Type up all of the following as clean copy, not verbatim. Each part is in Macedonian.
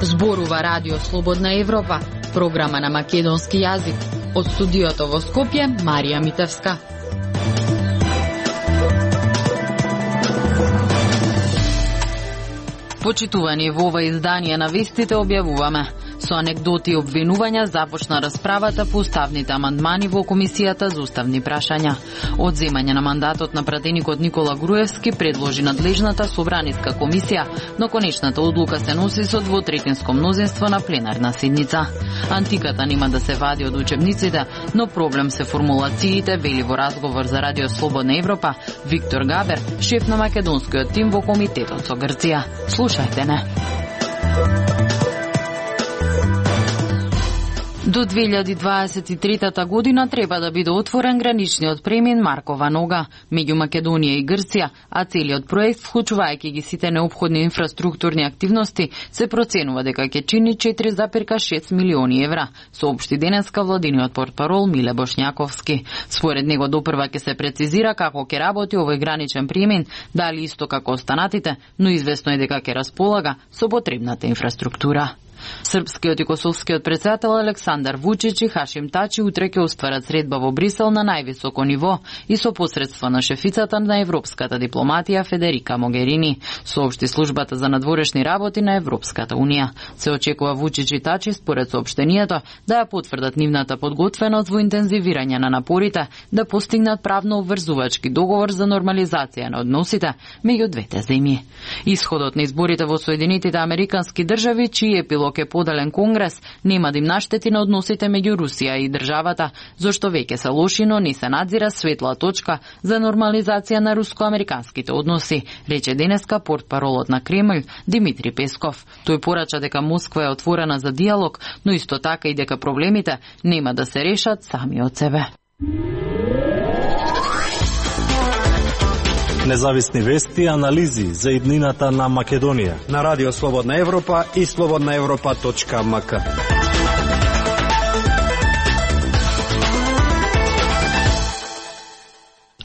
Зборува Радио Слободна Европа, програма на македонски јазик. Од студиото во Скопје, Марија Митевска. Почитувани, во ова издание на вестите објавуваме: со анекдоти и обвинувања започна расправата по уставните амандмани во Комисијата за уставни прашања. Одземање на мандатот на пратеникот Никола Груевски предложи надлежната собраниска комисија, но конечната одлука се носи со двотретинско мнозинство на пленарна седница. Антиката нема да се вади од учебниците, но проблем се формулациите, вели во разговор за Радио Слободна Европа Виктор Габер, шеф на македонскиот тим во комитетот со Грција. Слушајте не. До 2023 година треба да биде отворен граничниот премин Маркова нога меѓу Македонија и Грција, а целиот проект, вклучувајќи ги сите неопходни инфраструктурни активности, се проценува дека ќе чини 4,6 милиони евра, соопшти денеска владиниот портпарол Миле Бошњаковски. Според него допрва ќе се прецизира како ќе работи овој граничен премин, дали исто како останатите, но известно е дека ќе располага со потребната инфраструктура. Српскиот и косовскиот председател Александар Вучич и Хашим Тачи утре ќе остварат средба во Брисел на највисоко ниво и со посредство на шефицата на европската дипломатија Федерика Могерини, соопшти службата за надворешни работи на Европската унија. Се очекува Вучич и Тачи според соопштението да ја потврдат нивната подготвеност во интензивирање на напорите да постигнат правно обврзувачки договор за нормализација на односите меѓу двете земји. Исходот на изборите во Соединетите Американски држави, чиј епилог е поделен конгрес, нема да им наштети на односите меѓу Русија и државата, зашто веќе се лоши, но не се надзира светла точка за нормализација на руско-американските односи, рече денеска портпаролот на Кремљ Димитри Песков. Тој порача дека Москва е отворена за диалог, но исто така и дека проблемите нема да се решат сами од себе. Независни вести и анализи за иднината на Македонија на Радио Слободна Европа и slobodnaevropa.mk.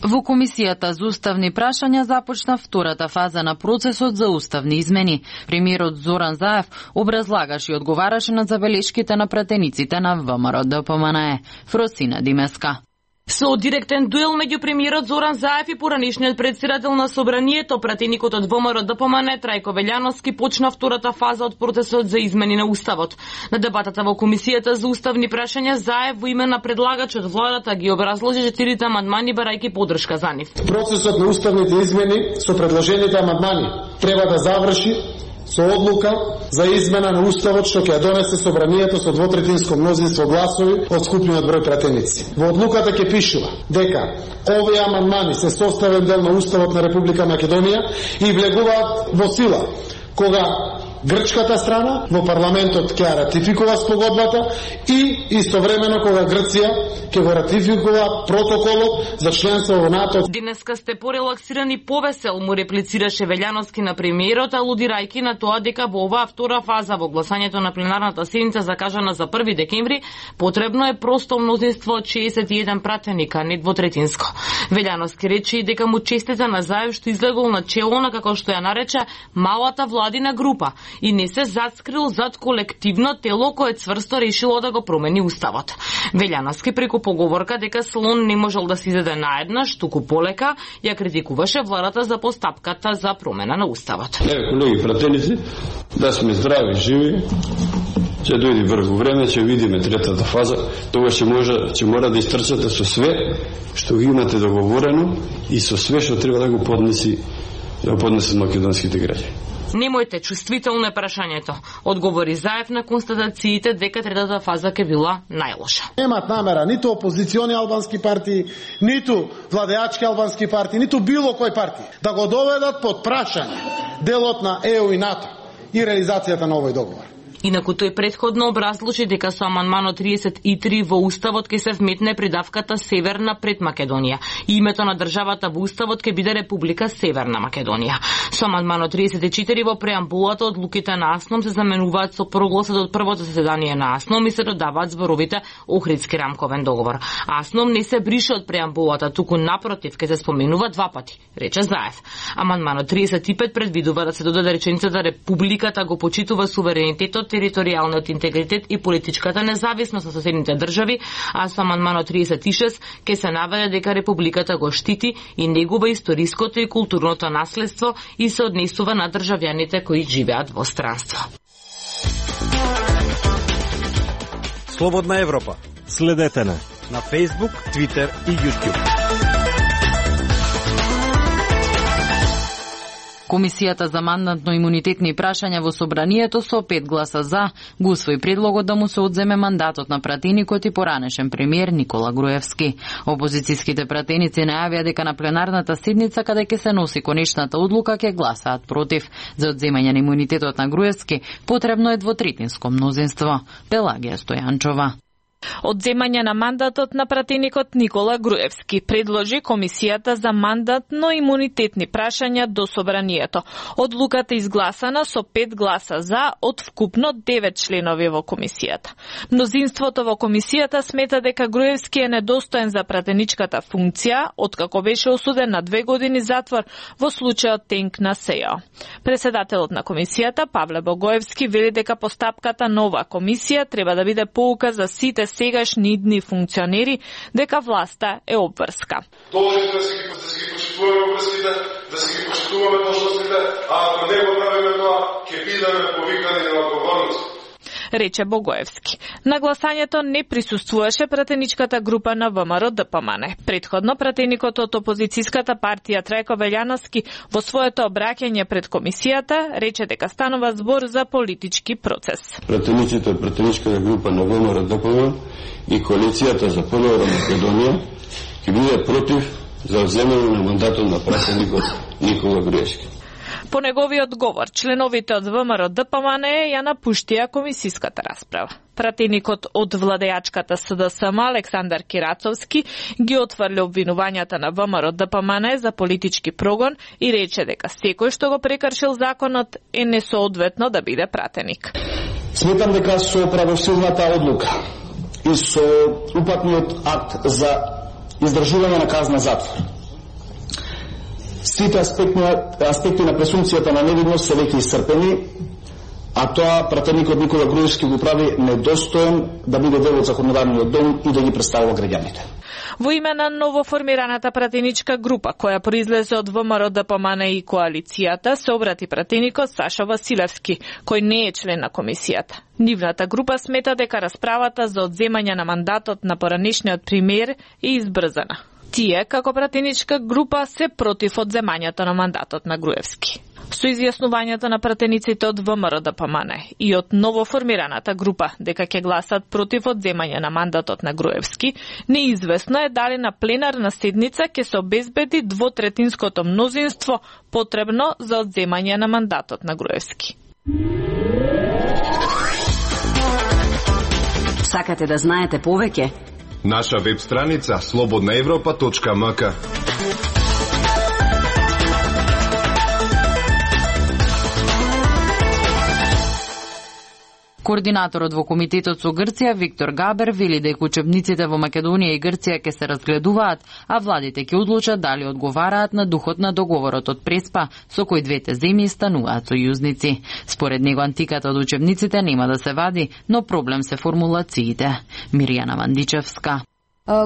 Во Комисијата за уставни прашања започна втората фаза на процесот за уставни измени. Премиерот Зоран Заев образлагаше и одговараше на забелешките на пратениците на ВМРО-ДПМНЕ. Фросина Димеска. Со директен дуел меѓу премиерот Зоран Заев и поранишниот председател на Собранието, пратеникот од ВМРО-ДПМНЕ Трајко Велјановски, почна втората фаза од процесот за измени на уставот. На дебатата во Комисијата за уставни прашања Заев во име на предлагачот владата ги образложи 4 амандмани барајќи поддршка за нив. Процесот на уставните измени со предложените амандмани треба да заврши со одлука за измена на уставот што ќе ја донесе Собранието со двотретинско мнозинство гласови од скупниот број пратеници. Во одлуката ќе пишува дека овие амандмани се составен дел на уставот на Република Македонија и влегуваат во сила кога грчката страна во парламентот ќе ја ратификува спогодбата и истовремено кога Грција ќе го ратификува протоколот за членство во НАТО. Денеска сте порелаксиран и повесел, му реплицираше Велјановски на премиерот, алудирајќи на тоа дека во оваа втора фаза во гласањето на пленарната седница закажана за 1 декември потребно е просто мнозинство од 61 пратеник, а не двотретинско. Велјановски рече и дека му честита на Заев што излегол на чело на, како што ја нарече, малата владина група и не се зацкрил зад колективно тело кое цврсто решило да го промени уставот. Велјановски преку поговорка дека слон не можел да се изеде наеднаш, туку полека, ја критикуваше владата за постапката за промена на уставот. Колеги пратеници, да сме здрави, живи, ќе дојде врву време, ќе видиме третата фаза, тогаш ќе мора да истрчате со све што ги имате договорено и со све што треба да го поднесат македонските граѓани. Немојте, чувствително е прашањето, одговори Заев на констатациите дека третата фаза ќе била најлоша. Немат намера ниту опозициони албански партии, ниту владеачки албански партии, ниту било кој партии да го доведат под прашање делот на ЕУ и НАТО и реализацијата на овој договор. Инаку тој претходно образлучи дека со амандманот 33 во Уставот ќе се вметне придавката Северна пред Македонија и името на државата во Уставот ќе биде Република Северна Македонија. Со амандманот 34 во преамбулата одлуките на АСНОМ се заменуваат со прогласот од првото заседание на АСНОМ и се додаваат зборовите Охридски рамковен договор. АСНОМ не се брише од преамбулата, туку напротив ќе се споменува два пати, рече Заев. Амандманот 35 предвидува да се додаде реченицата Републиката го почитува суверенитетот, територијалниот интегритет и политичката независност на соседните држави, а со амандманот 36 ќе се наведе дека Републиката го штити и негува историското и културното наследство и се однесува на државјаните кои живеат во странство. Слободна Европа. Следете не На Facebook, Twitter и YouTube. Комисијата за мандатно-имунитетни прашања во Собранието со 5 гласа за го усвои предлогот да му се одземе мандатот на пратеникот и поранешен премиер Никола Груевски. Опозицијските пратеници најавија дека на пленарната седница каде ќе се носи конечната одлука ќе гласаат против. За одземање на имунитетот на Груевски потребно е двотретинско мнозинство. Пелагија Стојанчова. Одземање на мандатот на пратеникот Никола Груевски предложи Комисијата за мандатно-имунитетни прашања до Собранието. Одлуката изгласана со 5 гласа за од вкупно 9 членови во Комисијата. Мнозинството во Комисијата смета дека Груевски е недостоен за пратеничката функција, откако беше осуден на 2 години затвор во случајот Тенк на СЕО. Председателот на Комисијата, Павле Богоевски, вели дека постапката на оваа комисија треба да биде поука за сите сегашни идни функционери дека власта е обврска. Должен да се ги почитуваме обврските, да се ги почитуваме должностите, а ако не го правиме тоа, ќе бидеме повикани на одговорност, рече Богоевски. На гласањето не присуствуваше пратеничката група на ВМРО ДПМН. Предходно пратеникот од опозицијската партија Трајко Белјановски во своето обраќање пред комисијата рече дека станува збор за политички процес. Пратениците од пратеничката група на ВМРО ДПМН и коалицијата за понова Македонија ќе бидат против за земење на мандатот на пратеникот Никола Груевски. По неговиот говор, членовите од ВМРО ДПМН ја напуштија комисиската расправа. Пратеникот од владеачката СДСМ Александар Кирацовски ги отврли обвинувањата на ВМРО ДПМН за политички прогон и рече дека секој што го прекршил законот е несоодветно да биде пратеник. Сметам дека со правосудната одлука и со упатниот акт за издржување на казна затвор сите аспекти на презумпцијата на невидност се веќе исцрпени, а тоа пратеникот Никола Груевски го прави недостоен да биде дел од законодавниот дом и да ги представува граѓаните. Во име на новоформираната пратеничка група, која произлезе од ВМРО ДПМН и коалицијата, се обрати пратеникот Сашо Василевски, кој не е член на комисијата. Нивната група смета дека расправата за одземање на мандатот на поранешниот премиер е избрзана. Тие, како пратеничка група, се против одземањето на мандатот на Груевски. Со изјаснувањето на пратениците од ВМРО ДПМН и од новоформираната група дека ќе гласат против одземање на мандатот на Груевски, неизвестно е дали на пленарна седница ќе се обезбеди двотретинското мнозинство потребно за одземање на мандатот на Груевски. Сакате да знаете повеќе? Наша веб страница slobodnaevropa.mk. Координаторот во комитетот со Грција Виктор Габер вели дека учебниците во Македонија и Грција ќе се разгледуваат, а владите ќе одлучат дали одговараат на духот на договорот од Преспа со кој двете земји стануваат сојузници. Според него антиката од учебниците нема да се вади, но проблем се формулациите. Мирјана Вандичевска.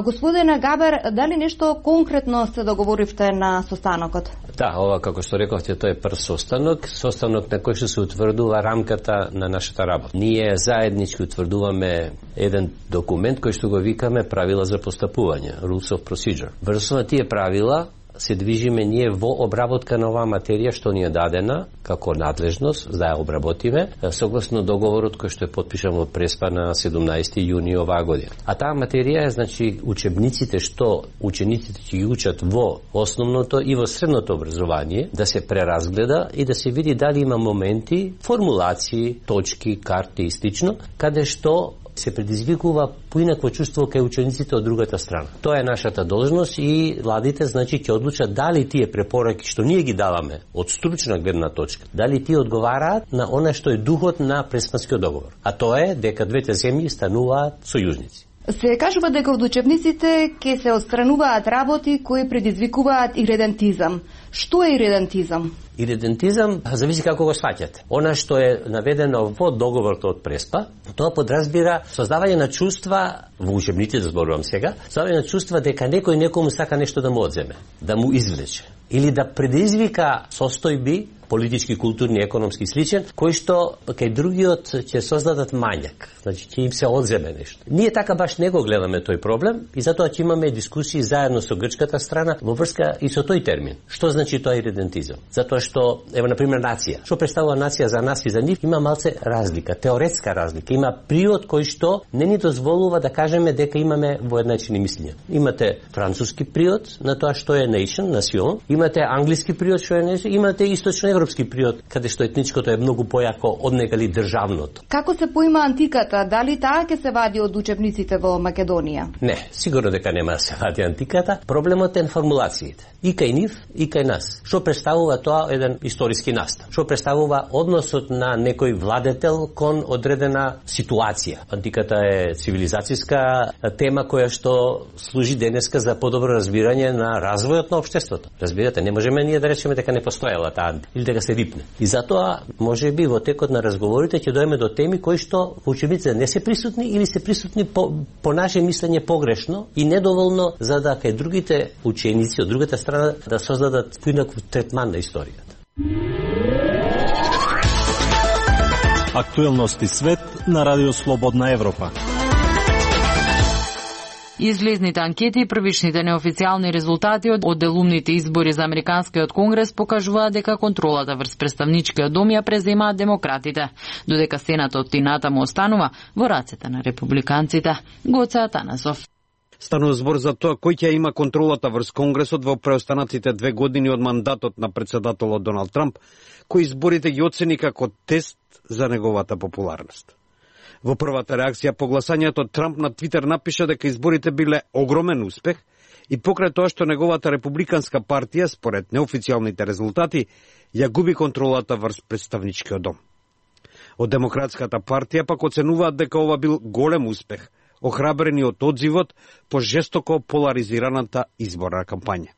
Господине Габер, дали нешто конкретно се договоривте на состанокот? Да, ова како што рековте, тоа е прв состанок на кој што се утврдува рамката на нашата работа. Ние заеднички утврдуваме еден документ кој што го викаме правила за постапување, Rules of Procedure. Врз на тие правила се движиме ние во обработка на оваа материја што ни е дадена како надлежност за да ја обработиме согласно договорот кој што е потпишан во Преспа на 17 јуни оваа година. А таа материја е значи учебниците што учениците ќе ги учат во основното и во средното образование да се преразгледа и да се види дали има моменти, формулации, точки, карти и слично, каде што се предизвикува поинакво чувство кај учениците од другата страна. Тоа е нашата должност и владите значи ќе одлучат дали тие препораки што ние ги даваме од стручна гледна точка, дали тие одговараат на она што е духот на Преспанскиот договор. А тоа е дека двете земји стануваат сојузници. Се кажува дека од учебниците ќе се отстрануваат работи кои предизвикуваат иредентизам. Што е иредентизам? Иредентизам зависи како го сваќате. Она што е наведено во договорот од Преспа, тоа подразбира создавање на чувства во учебниците, зборувам сега, создавање на чувства дека некој некому сака нешто да му одземе, да му извлече или да предизвика состојби политички, културни, економски и сличен, кои што кај другиот ќе создадат мањак, значи ќе им се одземе нешто. Ние така баш не го гледаме тој проблем и затоа ќе имаме дискусии заедно со грчката страна во врска и со тој термин. Што значи тоа иредентизам? Затоа што ево на пример нација. Што представува нација за нас и за нив има малце разлика, теоретска разлика. Има приод кој што не ни дозволува да кажеме дека имаме воедначени мислења. Имате француски приод на тоа што е nation, национ, имате англиски приод што е nation, имате источно европски приод, каде што етничкото е многу појако од негали државното. Како се поима антиката? Дали таа ќе се вади од учебниците во Македонија? Не, сигурно дека нема да се вади антиката. Проблемот е формулациите. И кај нив, и кај нас. Што представува тоа еден историски настав? Што представува односот на некој владетел кон одредена ситуација? Антиката е цивилизацијска тема која што служи денеска за подобро разбирање на развојот на општеството. Разбирате, не можеме ние да речеме дека не постоела таа или дека се рипне. И затоа можеби во текот на разговорите ќе дојдеме до теми кои што во учебниците не се присутни или се присутни по наше мислење погрешно и недоволно за да кај другите ученици од другата страна да создадат поинаков третман на историјата. Актуелности свет на Радио Слободна Европа. Излезните анкети и првичните неофицијални резултати од делумните избори за Американскиот конгрес покажуваат дека контролата врз представничкиот дом ја преземаат демократите, додека Сенатот и натаму останува во рацете на републиканците. Гоце Атанасов. Станува збор за тоа кој ќе има контролата врз Конгресот во преостанатите 2 години од мандатот на претседателот Доналд Трамп, кој изборите ги оцени како тест за неговата популарност. Во првата реакција по гласањето Трамп на Твитер напиша дека изборите биле огромен успех и покрај тоа што неговата републиканска партија, според неофицијалните резултати, ја губи контролата врз представничкиот дом. Од Демократската партија пак оценуваат дека ова бил голем успех, охрабрени од одзивот по жестоко поларизираната изборна кампања.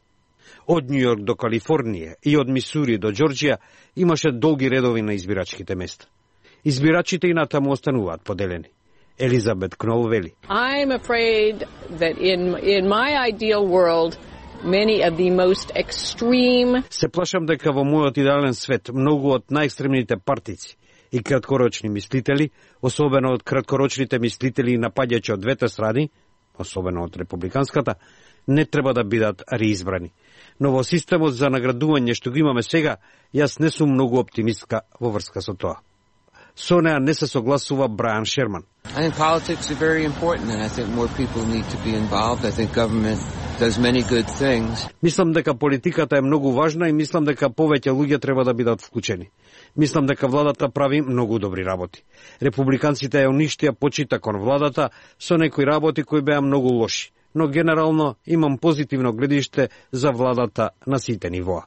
Од Њу Јорк до Калифорнија и од Мисури до Џорџија имаше долги редови на избирачките места. Избирачите и натаму остануваат поделени. Елизабет Кнол вели: I'm afraid that in my ideal world many of the most extreme. Се плашам дека во мојот идеален свет многу од најекстремните партици и краткорочни мислители, особено од краткорочните мислители и напаѓачи од двете страни, особено од републиканската, не треба да бидат реизбрани. Но во системот за наградување што го имаме сега, јас не сум многу оптимистка во врска со тоа. Со неа не се согласува Брайан Шерман. I think politics are very important and I think more people need to be involved. I think government does many good things. Мислам дека политиката е многу важна и мислам дека повеќе луѓе треба да бидат вклучени. Мислам дека владата прави многу добри работи. Републиканците ја уништија почита кон владата со некои работи кои беа многу лоши, но генерално имам позитивно гледиште за владата на сите нивоа.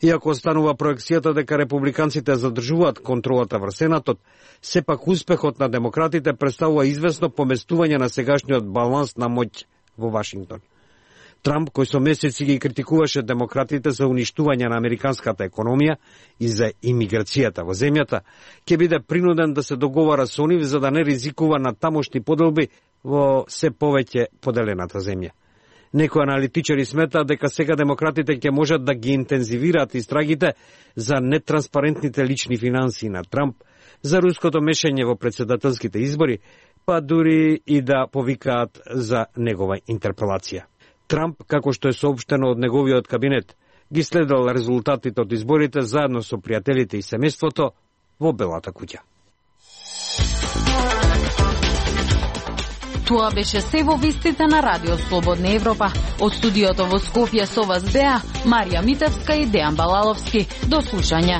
Иако останува проекцијата дека републиканците задржуваат контролата врз Сенатот, сепак успехот на демократите представува известно поместување на сегашниот баланс на моќ во Вашингтон. Трамп, кој со месеци ги критикуваше демократите за уништување на американската економија и за имиграцијата во земјата, ќе биде принуден да се договара со нив за да не ризикува на тамошни поделби во се повеќе поделената земја. Некои аналитичари сметаат дека сега демократите ќе можат да ги интензивираат истрагите за нетранспарентните лични финансии на Трамп, за руското мешање во претседателските избори, па дури и да повикаат за негова интерпелација. Трамп, како што е соопштено од неговиот кабинет, ги следел резултатите од изборите заедно со пријателите и семејството во Белата куќа. Тоа беше се во вестите на Радио Слободна Европа. Од студиото во Скопје со вас беа Марија Митевска и Дејан Балаловски. До слушање.